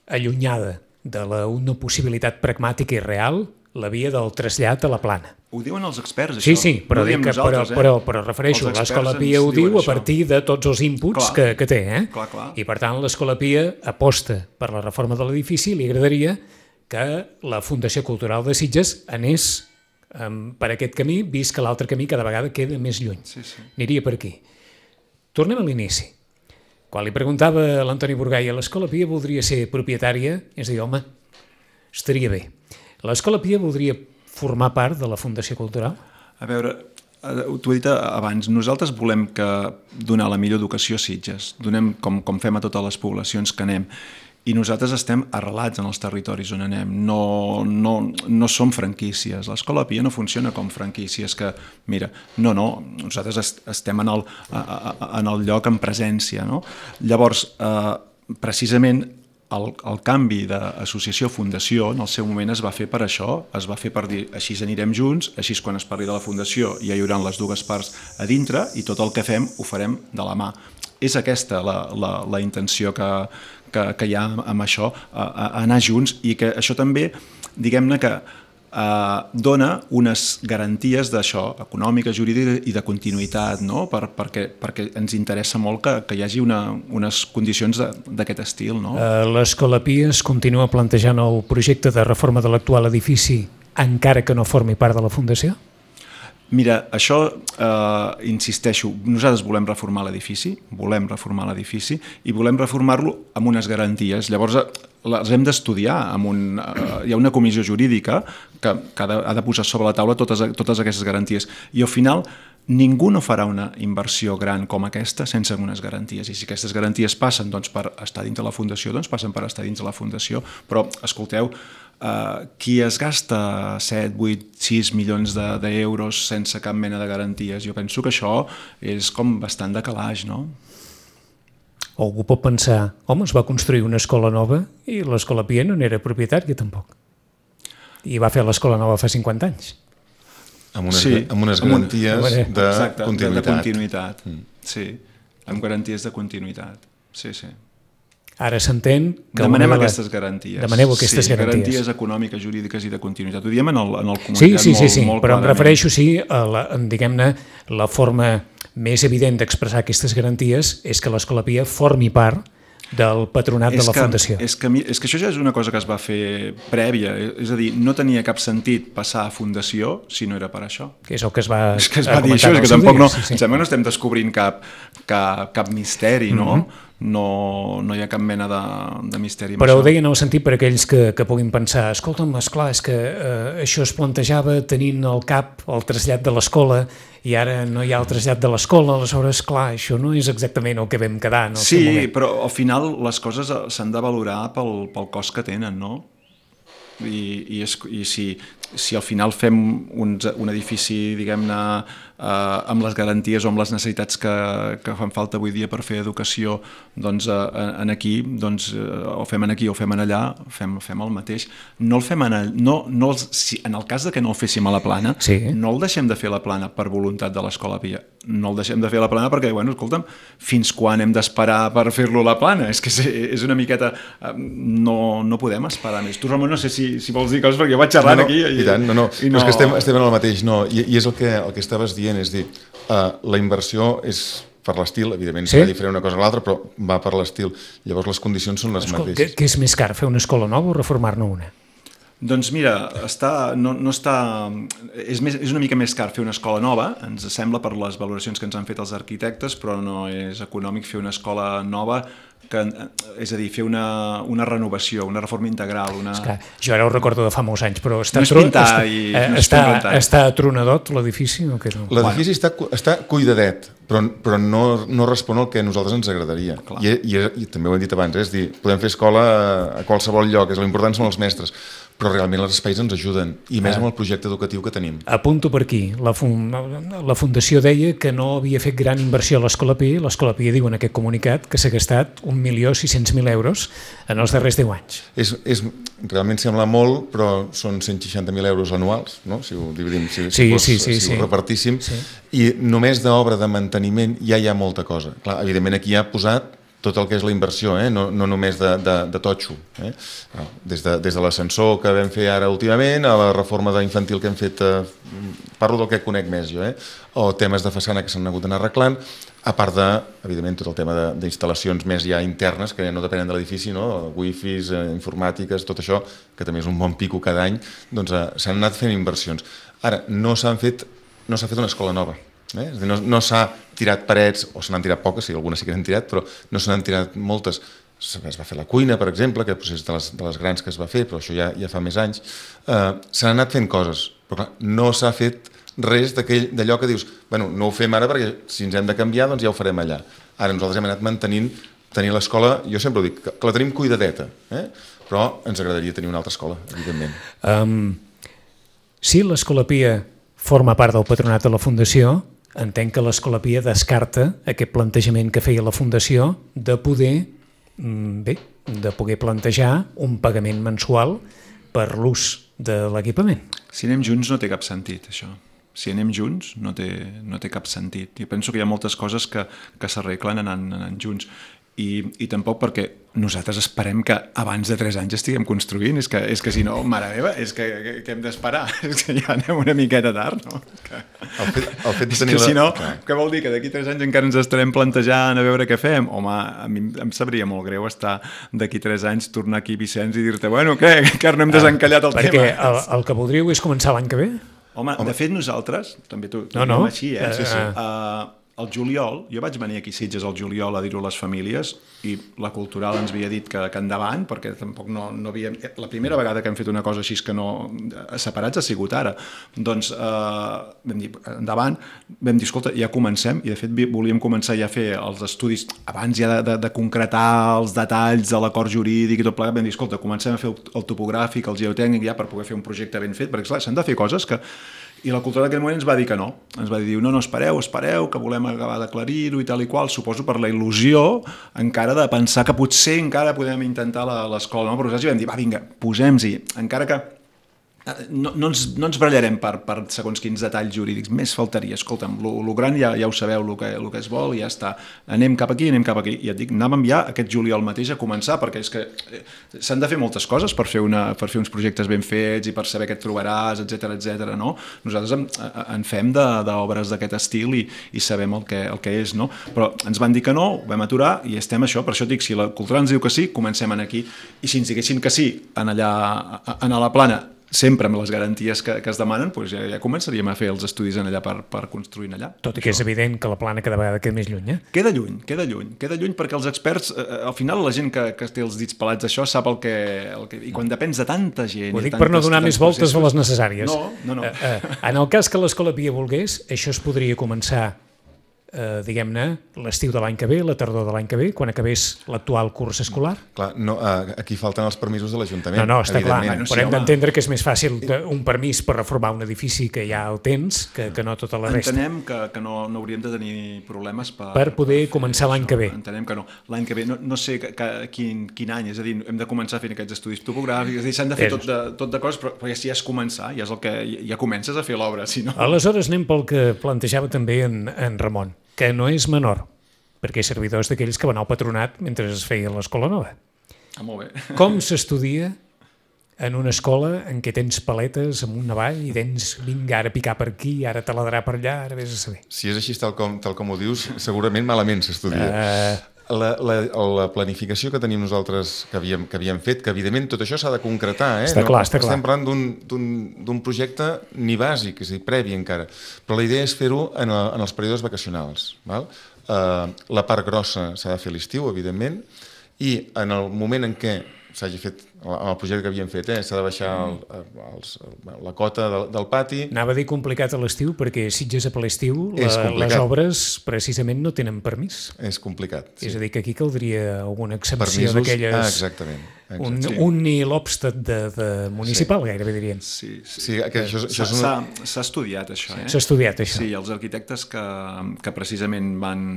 allunyada de la, una possibilitat pragmàtica i real, la via del trasllat a la plana. Ho diuen els experts, això. Sí, sí, però, no dic que, però, eh? però, però refereixo, l'escola Pia ho diu a partir de tots els inputs que, que té. Eh? Clar, clar. I per tant l'escola Pia aposta per la reforma de l'edifici i li agradaria que la Fundació Cultural de Sitges anés um, per aquest camí, vist que l'altre camí cada vegada queda més lluny. Sí, sí. Aniria per aquí. Tornem a l'inici. Quan li preguntava a l'Antoni Burgaia, l'escola Pia voldria ser propietària, és a dir, home, estaria bé. L'escola Pia voldria formar part de la Fundació Cultural? A veure, t'ho he dit abans, nosaltres volem que donar la millor educació a Sitges, donem com, com fem a totes les poblacions que anem, i nosaltres estem arrelats en els territoris on anem, no, no, no som franquícies. L'escola Pia no funciona com franquícies que, mira, no, no, nosaltres est estem en el, a, a, en el lloc en presència, no? Llavors, eh, precisament, el, el canvi d'associació-fundació en el seu moment es va fer per això, es va fer per dir, així anirem junts, així quan es parli de la fundació ja hi haurà les dues parts a dintre i tot el que fem ho farem de la mà. És aquesta la, la, la intenció que, que, que hi ha amb això, a, a anar junts, i que això també, diguem-ne que eh, dona unes garanties d'això, econòmiques, jurídiques i de continuïtat, no? per, perquè, perquè ens interessa molt que, que hi hagi una, unes condicions d'aquest estil. No? Uh, L'escola Pia es continua plantejant el projecte de reforma de l'actual edifici encara que no formi part de la Fundació? Mira, això, eh, insisteixo, nosaltres volem reformar l'edifici, volem reformar l'edifici i volem reformar-lo amb unes garanties. Llavors, les hem d'estudiar. Amb un, eh, hi ha una comissió jurídica que, que ha, de, ha de posar sobre la taula totes, totes aquestes garanties. I al final, ningú no farà una inversió gran com aquesta sense unes garanties. I si aquestes garanties passen doncs, per estar dins de la Fundació, doncs passen per estar dins de la Fundació. Però, escolteu, Uh, qui es gasta set, vuit, sis milions d'euros de, sense cap mena de garanties, jo penso que això és com bastant de calaix, no? O algú pot pensar, home, es va construir una escola nova i l'escola Pia no n'era propietària tampoc. I va fer l'escola nova fa cinquanta anys. Amb unes, sí, amb unes amb un, garanties de, exacte, continuïtat. de continuïtat. Mm. Sí, amb garanties de continuïtat. Sí, sí. Ara s'entén que... Demanem aquestes garanties. Demaneu aquestes sí, garanties. garanties econòmiques, jurídiques i de continuïtat. Ho diem en el, en el comunicat sí, sí, molt, sí, sí. molt però clarament. em refereixo, sí, a la, diguem-ne, la forma més evident d'expressar aquestes garanties és que l'escola Pia formi part del patronat és de la que, Fundació. És que, és que això ja és una cosa que es va fer prèvia, és a dir, no tenia cap sentit passar a Fundació si no era per això. Que és el que es va, és que es va dir això, és que tampoc no, sí, sí. Em sembla que no estem descobrint cap, cap, cap misteri, no? Mm-hmm. no, no hi ha cap mena de, de misteri. Però ho deia en el sentit per aquells que, que puguin pensar, escolta'm, esclar, és que eh, això es plantejava tenint al cap el trasllat de l'escola i ara no hi ha el trasllat de l'escola, aleshores, clar, això no és exactament el que vam quedar en el sí, seu moment. Però al final les coses s'han de valorar pel, pel cost que tenen, no? I, i, és, i si, si al final fem un, un edifici, diguem-ne, eh, amb les garanties o amb les necessitats que, que fan falta avui dia per fer educació, doncs eh, en aquí, doncs, eh, o fem en aquí o fem en allà, fem, fem el mateix. No el fem en, no, no els, si, en el cas de que no el féssim a la Plana, sí. no el deixem de fer a la Plana per voluntat de l'Escola Pia. No el deixem de fer a la Plana perquè, bueno, escolta'm, fins quan hem d'esperar per fer-lo a la Plana? És que és una miqueta... No, no podem esperar més. Tu, Ramon, no sé si, si vols dir coses, perquè jo vaig xerrant no, no, aquí. I, i tant, no, no. I no. no és que estem, estem en el mateix, no. I, i és el que, el que estaves dient, és dir, uh, la inversió és per l'estil, evidentment, sí? serà diferent una cosa a l'altra, però va per l'estil. Llavors les condicions són les Escolta, mateixes. Què, què és més car, fer una escola nova o reformar-ne una? Doncs mira, està, no, no està, és, més, és una mica més car fer una escola nova, ens sembla per les valoracions que ens han fet els arquitectes, però no és econòmic fer una escola nova, que, és a dir, fer una, una renovació, una reforma integral. Una... Esclar, jo ara ho recordo de fa molts anys, però està, no és pintar està, i eh, no és està, pintar. està atronadot l'edifici o què no? L'edifici bueno. està, està cuidadet, però, però no, no respon al que a nosaltres ens agradaria. I, i, I també ho hem dit abans, eh? És dir, podem fer escola a qualsevol lloc, és l'important són els mestres, però realment els espais ens ajuden, i més amb el projecte educatiu que tenim. Apunto per aquí. La, fun la Fundació deia que no havia fet gran inversió a l'Escola Pia, l'Escola Pia diu en aquest comunicat que s'ha gastat un milió sis-cents mil euros en els darrers deu anys. És, és, realment sembla molt, però són cent seixanta mil euros anuals, no? Si ho dividim, si, sí, si, fos, sí, sí, si sí. ho repartíssim, sí. I només d'obra de manteniment ja hi ha molta cosa. Clar, evidentment aquí hi ha posat tot el que és la inversió, eh? no, no només de, de, de totxo. Eh? Des de, des de l'ascensor que vam fer ara últimament, a la reforma d'infantil que hem fet, eh, parlo del que conec més jo, eh? O temes de façana que s'han hagut d'anar arreglant, a part de, evidentment, tot el tema d'instal·lacions més ja internes, que ja no depenen de l'edifici, no? Wifis, eh, informàtiques, tot això, que també és un bon pico cada any, doncs eh, s'han anat fent inversions. Ara, no s'han fet, no s'ha fet una escola nova. Eh? És a dir, no, no s'ha tirat parets, o se n'han tirat poques, sí, algunes sí que s'han tirat, però no se n'han tirat moltes. Es va fer la cuina, per exemple, que és de les, de les grans que es va fer, però això ja, ja fa més anys. Uh, S'han anat fent coses, però clar, no s'ha fet res d'allò que dius, bueno, no ho fem ara perquè si ens hem de canviar, doncs ja ho farem allà. Ara nosaltres hem anat mantenint, tenir l'escola, jo sempre ho dic, que, que la tenim cuidadeta, eh? Però ens agradaria tenir una altra escola, evidentment. Um, si l'Escola Pia forma part del patronat de la Fundació, entenc que l'Escola Pia descarta aquest plantejament que feia la Fundació de poder, bé, de poder plantejar un pagament mensual per l'ús de l'equipament. Si anem junts no té cap sentit, això. Si anem junts no té, no té cap sentit. Jo penso que hi ha moltes coses que, que s'arreglen anant, anant junts. I, i tampoc perquè nosaltres esperem que abans de tres anys estiguem construint, és que, és que si no, mare meva, és que, que, que hem d'esperar, és que ja anem una miqueta tard, no? Que... El fet, el fet de és que la... si no, què vol dir? Que d'aquí tres anys encara ens estarem plantejant a veure què fem? Home, a mi em sabria molt greu estar d'aquí tres anys, tornar aquí, Vicenç, i dir-te, bueno, què? Que ara no hem desencallat el perquè tema. Perquè el, el que voldríeu és començar l'any que ve? Home, Home, de fet nosaltres, també tu, tu no, no. així, eh? Sí, sí. Uh, el juliol, jo vaig venir aquí a Sitges al juliol a dir-ho a les famílies i la Cultural ens havia dit que, que endavant, perquè tampoc no, no havíem... La primera vegada que hem fet una cosa així que no... separats ha sigut ara. Doncs eh, vam dir, endavant, vam dir, escolta, ja comencem, i de fet volíem començar ja a fer els estudis, abans ja de, de, de concretar els detalls de l'acord jurídic i tot plegat, vam dir, escolta, comencem a fer el, el topogràfic, el geotècnic, ja per poder fer un projecte ben fet, perquè clar, s'han de fer coses que... I la Cultura d'aquell moment ens va dir que no. Ens va dir, no, no, espereu, espereu, que volem acabar d'aclarir-ho i tal i qual, suposo per la il·lusió encara de pensar que potser encara podem intentar l'escola. No? Però nosaltres vam dir, va, vinga, posem-hi, encara que no, no, ens, no ens barallarem per, per segons quins detalls jurídics, més faltaria, escolta'm, el gran ja, ja ho sabeu, el que, el que es vol, ja està, anem cap aquí, anem cap aquí, i et dic, anàvem ja aquest juliol mateix a començar, perquè és que s'han de fer moltes coses per fer, una, per fer uns projectes ben fets i per saber què et trobaràs, etcètera, etcètera, no? Nosaltres en, en fem d'obres d'aquest estil i, i sabem el que, el que és, no? Però ens van dir que no, ho vam aturar i estem això, per això et dic, si la Cultura ens diu que sí, comencem en aquí, i si ens diguessin que sí, en allà, en a la Plana, sempre amb les garanties que, que es demanen, doncs ja, ja començaríem a fer els estudis en allà per, per construir allà. Tot i que és evident que la Plana cada vegada queda més lluny, eh? Queda lluny, queda lluny, queda lluny perquè els experts, eh, al final la gent que, que té els dits pelats d'això sap el que, el que... I quan depens de tanta gent... Ho dic per no donar més voltes de les necessàries. No, no, no. Eh, eh, en el cas que l'Escola Pia volgués, això es podria començar eh, diguem-ne, l'estiu de l'any que ve, la tardor de l'any que ve, quan acabés l'actual curs escolar? Clar, no, aquí falten els permisos de l'Ajuntament. No, no, està clar, Bueno, sí, però hem home. d'entendre que és més fàcil un permís per reformar un edifici que ja el tens que, que no tota la resta. Entenem que, que no, no hauríem de tenir problemes per... Per poder per començar l'any que ve. Entenem que no. L'any que ve, no, no sé que, que, quin, quin any, és a dir, hem de començar fent aquests estudis topogràfics, és a dir, s'han de fer tot de, tot de coses, però, però ja, ja és començar, ja és el que... Ja comences a fer l'obra, si no... Aleshores anem pel que plantejava també en, en Ramon, que no és menor, perquè és servidors d'aquells que van al patronat mentre es feia l'Escola Nova. Ah, molt bé. Com s'estudia en una escola en què tens paletes amunt avall i tens, vinga, ara picar per aquí, ara taladrar per allà, ara vés a saber. Si és així tal com, tal com ho dius, segurament malament s'estudia. Uh... La, la, la planificació que tenim nosaltres, que havíem, que havíem fet, que evidentment tot això s'ha de concretar, eh? Està clar, està clar. Estem parlant d'un projecte ni bàsic, és a dir, previ encara, però la idea és fer-ho en, el, en els períodes vacacionals. Val? Uh, la part grossa s'ha de fer a l'estiu, evidentment, i en el moment en què s'hagi fet, amb el projecte que havíem fet, eh, s'ha de baixar el, els, la cota del, del pati. Anava a dir complicat a l'estiu, perquè Sitges a l'estiu les obres precisament no tenen permís. És complicat. Sí. És a dir, que aquí caldria alguna excepció d'aquelles... Ah, exactament. exactament. Un, sí. un Nil Obstat de, de municipal, sí. Gairebé dirien. Sí, sí. sí que això, això és una... S'ha estudiat, això. Eh? S'ha estudiat, això. Sí, els arquitectes que, que precisament van,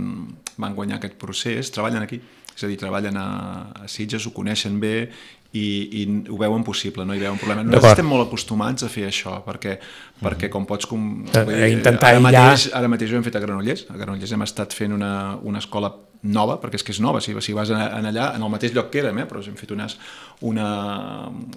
van guanyar aquest procés treballen aquí. És a dir, treballen a, a Sitges, ho coneixen bé i, i ho veuen possible, no hi veuen problema. Nosaltres estem molt acostumats a fer això, perquè, mm. perquè com pots... Com, a, dir, a intentar ara, aïllar... mateix, ara mateix ho hem fet a Granollers. A Granollers hem estat fent una, una escola nova, perquè és que és nova, si, si vas en, en allà, en el mateix lloc que érem, eh? Però hem fet unes, una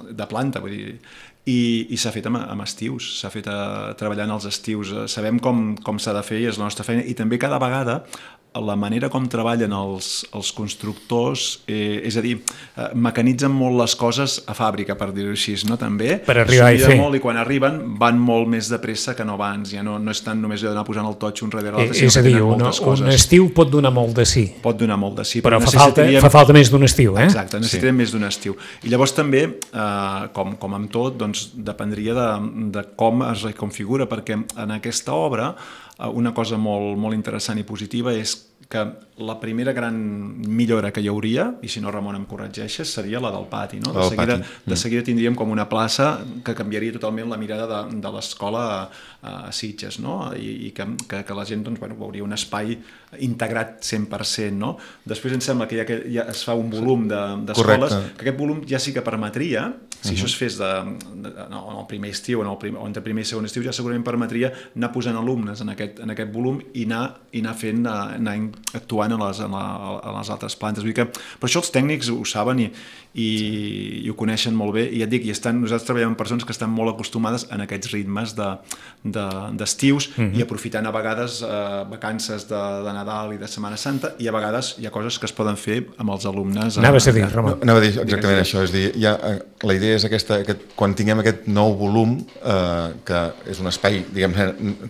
de planta, vull dir... I, i s'ha fet amb, amb estius, s'ha fet a, treballant els estius, sabem com, com s'ha de fer i és la nostra feina, i també cada vegada la manera com treballen els, els constructors, eh, és a dir, eh, mecanitzen molt les coses a fàbrica, per dir-ho així, no? També per arribar i fer. Molt, i quan arriben van molt més de pressa que no abans, ja no, no és tant només d'anar posant el totxo un darrere l'altre, eh, és a dir, una, un estiu pot donar molt de sí. Pot donar molt de sí, però, però fa, falta, fa falta més d'un estiu, eh? Exacte, necessitem sí. més d'un estiu. I llavors també, eh, com, com amb tot, doncs dependria de, de com es reconfigura, perquè en aquesta obra eh, una cosa molt, molt interessant i positiva és que la primera gran millora que hi hauria, i si no Ramon em corregeixes, seria la del pati. No? De, seguida, de seguida tindríem com una plaça que canviaria totalment la mirada de, de l'escola a, a Sitges, no? I, i que, que, que la gent doncs, bueno, veuria un espai integrat cent per cent. No? Després em sembla que ja, que ja es fa un volum d'escoles, de, que aquest volum ja sí que permetria, si uh-huh. això es fes de, de, no, en el primer estiu, en el prim, o entre primer i segon estiu, ja segurament permetria anar posant alumnes en aquest, en aquest volum i anar, i anar fent, anar actuant a les, a, la, a les altres plantes. Vull dir que, però això els tècnics ho saben i, i, i ho coneixen molt bé, i ja et dic, i estan, nosaltres treballem amb persones que estan molt acostumades en aquests ritmes d'estius de, de, uh-huh. i aprofitant a vegades eh, vacances de, de Nadal i de Setmana Santa, i a vegades hi ha coses que es poden fer amb els alumnes. Anaves a dir, Ramon. No, anava a dir exactament Digues això, és dir, ja, la idea és aquesta, aquest, quan tinguem aquest nou volum, eh, que és un espai, diguem,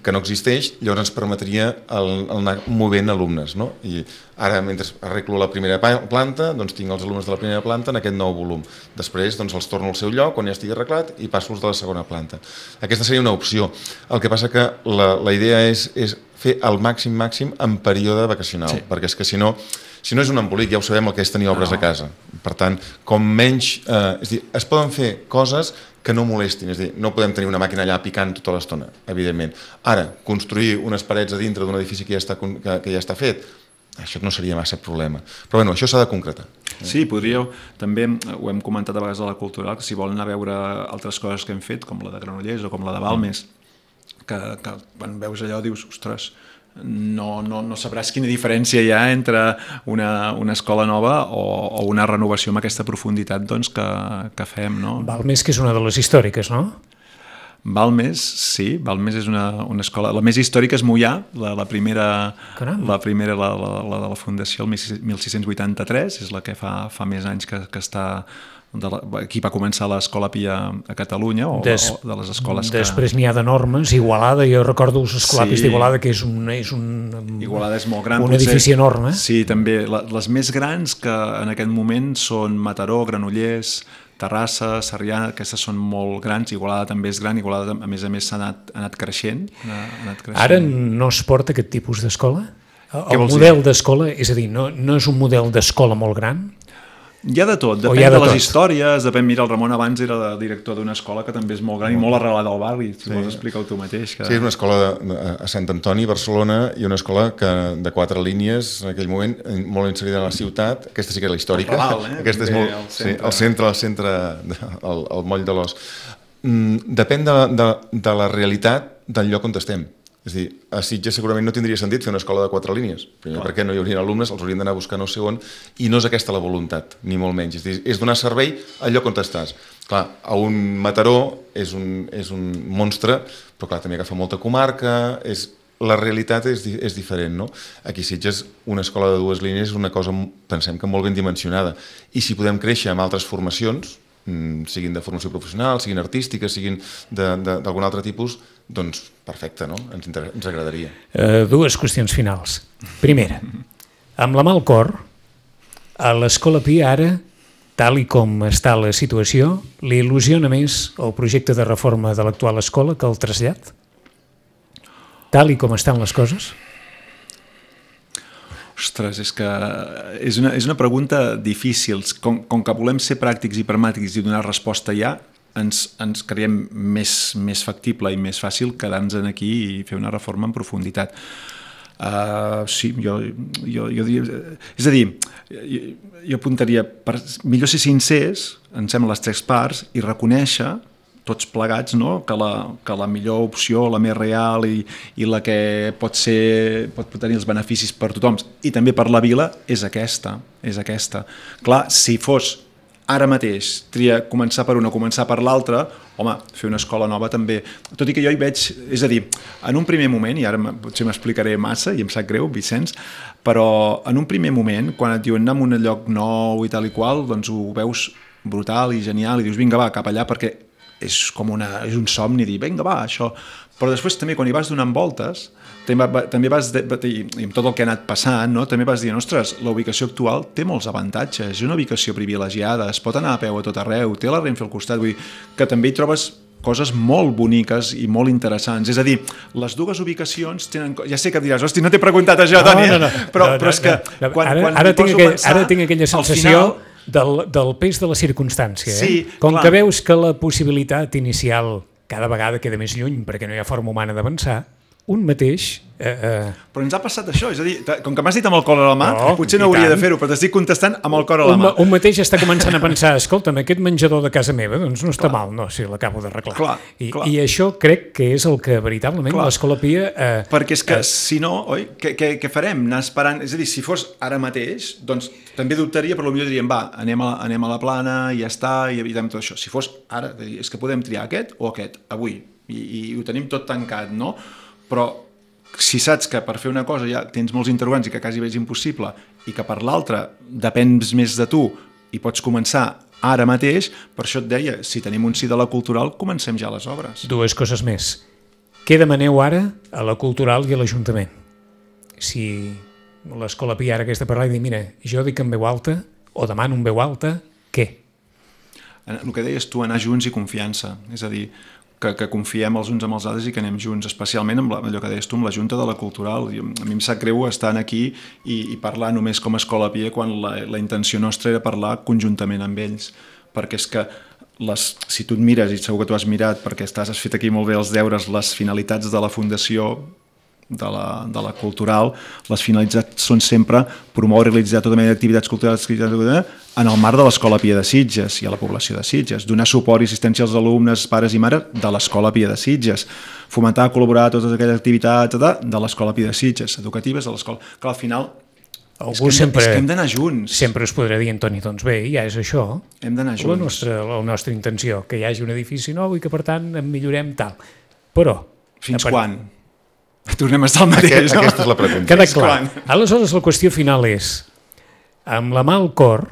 que no existeix, llavors ens permetria el, el anar movent alumnes, no? I ara, mentre arreglo la primera planta, doncs tinc els alumnes de la primera planta en aquest nou volum. Després doncs, els torno al seu lloc, quan ja estigui arreglat, i passo els de la segona planta. Aquesta seria una opció. El que passa que la, la idea és, és fer el màxim màxim en període vacacional, sí. perquè és que si no, si no és un embolic, ja ho sabem el que és tenir obres no. a casa. Per tant, com menys... Eh, és dir, es poden fer coses que no molestin, és a dir, no podem tenir una màquina allà picant tota l'estona, evidentment. Ara, construir unes parets a dintre d'un edifici que ja està, que, que ja està fet, això no seria massa problema. Però bueno, això s'ha de concretar. Sí, podríeu, també ho hem comentat a vegades a la Cultural, que si volen anar a veure altres coses que hem fet, com la de Granollers o com la de Balmes, que, que quan veus allò dius, ostres, no, no, no sabràs quina diferència hi ha entre una, una escola nova o, o una renovació amb aquesta profunditat doncs, que, que fem. No? Balmes, que és una de les històriques, no? Balmes, sí, Balmes és una, una escola... La més històrica és Moià, la, la primera, la, primera la, la, la de la Fundació, el mil sis-cents vuitanta-tres, és la que fa, fa més anys que, que està de la, aquí va començar l'Escola Pia a Catalunya, o, Des, o de les escoles que... Després n'hi ha de normes, Igualada, jo recordo els escolapis Sí. d'Igualada, que és un, és un, Igualada és molt gran. un potser. edifici enorme. Sí, també. La, les més grans que en aquest moment són Mataró, Granollers, Terrassa, Sarrià, aquestes són molt grans. Igualada també és gran, Igualada a més a més s'ha anat, ha anat creixent. Ha anat creixent. Ara no es porta aquest tipus d'escola? Què El vols model d'escola, és a dir, no, no és un model d'escola molt gran? Hi ha de tot, O depèn hi ha de, de les tot? històries, depèn, mira, el Ramon abans era de director d'una escola que també és molt gran i molt arrelada al barri, si sí. vols explicar-ho tu mateix. Que... Sí, és una escola de, a Sant Antoni, Barcelona, i una escola que de quatre línies, en aquell moment, molt inserida a la ciutat. Aquesta sí que era la històrica. El Raval, eh? Aquesta és Bé, molt... al Sí, centre. al centre, al centre, de, al, al moll de l'Os. Mm, depèn de, de, de la realitat del lloc on estem. És a dir, a Sitges segurament no tindria sentit fer una escola de quatre línies, primer Clar. perquè no hi haurien alumnes, els haurien d'anar a buscar no sé on, i no és aquesta la voluntat, ni molt menys. És, dir, és donar servei al lloc on estàs. Clar, a un Mataró és un, és un monstre, però clar, també agafa molta comarca, és, la realitat és, és diferent, no? Aquí a Sitges una escola de dues línies és una cosa, pensem que molt ben dimensionada, i si podem créixer amb altres formacions, siguin de formació professional, siguin artístiques, siguin d'algun altre tipus, doncs perfecte, no? Ens, ens agradaria. Uh, dues qüestions finals. Primera, amb la mà al cor, a l'Escola Pia ara, tal i com està la situació, li il·lusiona més el projecte de reforma de l'actual escola que el trasllat? Tal i com estan les coses? Ostres, és que és una, és una pregunta difícil. Com, com que volem ser pràctics i pragmàtics i donar resposta ja, ens, ens creiem més, més factible i més fàcil quedar-nos aquí i fer una reforma en profunditat. Uh, sí, jo, jo, jo diria... És a dir, jo, jo apuntaria, per, millor ser sincers, em sembla, les tres parts, i reconèixer tots plegats, no? que, la, que la millor opció, la més real i, i la que pot ser, pot tenir els beneficis per tothom i també per la vila és aquesta, és aquesta. Clar, si fos ara mateix tria començar per una, començar per l'altra, home, fer una escola nova també, tot i que jo hi veig, és a dir, en un primer moment, i ara potser m'explicaré massa i em sap greu, Vicenç, però en un primer moment, quan et diuen anar a un lloc nou i tal i qual, doncs ho veus brutal i genial i dius vinga va, cap allà, perquè és com una, és un somni dir, vinga va, això. Però després també quan hi vas donant voltes, també, també vas, de, i amb tot el que ha anat passant, no? també vas dir, ostres, la ubicació actual té molts avantatges, és una ubicació privilegiada, es pot anar a peu a tot arreu, té la Renfe al costat, vull dir que també hi trobes coses molt boniques i molt interessants. És a dir, les dues ubicacions tenen... Ja sé que diràs, hosti, no t'he preguntat això, no, Toni, no, no, però, no, però és que no, no. quan, ara, quan ara, tinc aquell, pensar, ara tinc aquella sensació final... del, del pes de la circumstància. Sí, eh? Com clar. que veus que la possibilitat inicial cada vegada queda més lluny perquè no hi ha forma humana d'avançar, un mateix... Eh, eh... Però ens ha passat això, és a dir, com que m'has dit amb el cor a la mà, no, potser no hauria tant. de fer-ho, però t'estic contestant amb el cor a la un, mà. Un mateix està començant a pensar, escolta'm, aquest menjador de casa meva doncs no està clar. mal, no, si l'acabo d'arreglar. Clar, I, clar. I això crec que és el que veritablement clar. l'Escola Pia... Eh, Perquè és que, eh, si no, oi, què, què, què farem? Anar esperant... És a dir, si fos ara mateix, doncs també dubtaria, però potser diríem, va, anem a, anem a la plana i ja està, i evitem tot això. Si fos ara, és que podem triar aquest o aquest, avui, i, i ho tenim tot tancat, no? Però si saps que per fer una cosa ja tens molts interrogants i que quasi veig impossible i que per l'altra depens més de tu i pots començar ara mateix, per això et deia, si tenim un sí de la cultural, comencem ja les obres. Dues coses més. Què demaneu ara a la cultural i a l'Ajuntament? Si l'Escola Pia ara aquesta parla i dir, mira, jo dic en veu alta o demano en veu alta, què? El que deies tu, anar junts i confiança, és a dir, Que, que confiem els uns amb els altres i que anem junts, especialment amb la, allò que deies tu, amb la Junta de la Cultural. I a mi em sap greu estar aquí i, i parlar només com a Escola Pia quan la, la intenció nostra era parlar conjuntament amb ells, perquè és que les, si tu et mires, i segur que tu has mirat perquè estàs, has fet aquí molt bé els deures, les finalitats de la Fundació de la, de la cultural, les finalitats són sempre promoure i realitzar tota mena d'activitats culturals en el marc de l'Escola Pia de Sitges i a la població de Sitges, donar suport i assistència als alumnes, pares i mares de l'Escola Pia de Sitges, fomentar, col·laborar a totes aquelles activitats de l'Escola Pia de Sitges, educatives de l'escola. Clar, al final és que, hem, sempre, és que hem d'anar junts. Sempre us podrà dir, Antoni, doncs bé, ja és això. Hem d'anar junts. La nostra, la nostra intenció, que hi hagi un edifici nou i que, per tant, en millorem tal. Però... Fins part... quan? Tornem a estar al mateix, Aquest, no? Aquesta és la pregunta. Queda clar. Aleshores, la qüestió final és, amb la mà al cor,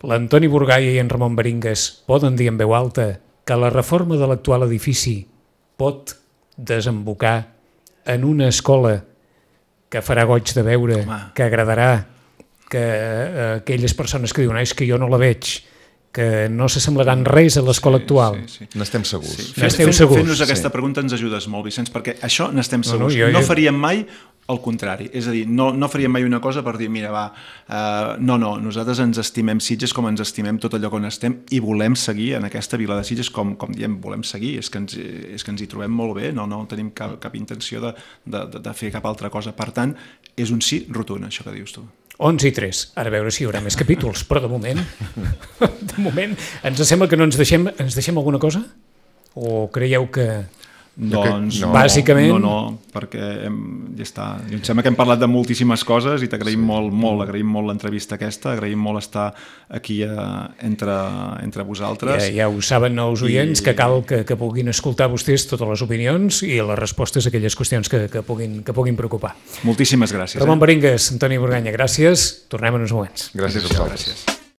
l'Antoni Burgaia i en Ramon Baringas poden dir en veu alta que la reforma de l'actual edifici pot desembocar en una escola que farà goig de veure, Home. que agradarà, que eh, aquelles persones que diuen és que jo no la veig, que no s'assemblaran res a l'escola sí, actual. Sí, sí. N'estem segurs. Sí. N'esteu segurs. Fent-nos aquesta sí. pregunta ens ajudes molt, Vicenç, perquè això n'estem segurs. No, no, jo, jo... no faríem mai el contrari. És a dir, no, no faríem mai una cosa per dir, mira, va, uh, no, no, nosaltres ens estimem Sitges com ens estimem tot allò on estem i volem seguir en aquesta vila de Sitges com, com diem, volem seguir. És que, ens, és que ens hi trobem molt bé, no, no tenim cap, cap intenció de, de, de fer cap altra cosa. Per tant, és un sí rotund, això que dius tu. onze i tres. Ara a veure si hi haurà més capítols, però de moment, de moment, ens sembla que no ens deixem, ens deixem alguna cosa? O creieu que... Doncs no, bàsicament... No, no, perquè hem, ja està. Em sembla que hem parlat de moltíssimes coses i t'agraïm sí. molt, molt, agraïm molt l'entrevista aquesta, agraïm molt estar aquí a, entre, entre vosaltres. Ja, ja ho saben els oients, I... que cal que, que puguin escoltar vostès totes les opinions i les respostes a aquelles qüestions que, que, puguin, que puguin preocupar. Moltíssimes gràcies. Ramon eh? Baringas, Antoni Burgaia, gràcies. Tornem en uns moments. Gràcies a vosaltres. Gràcies.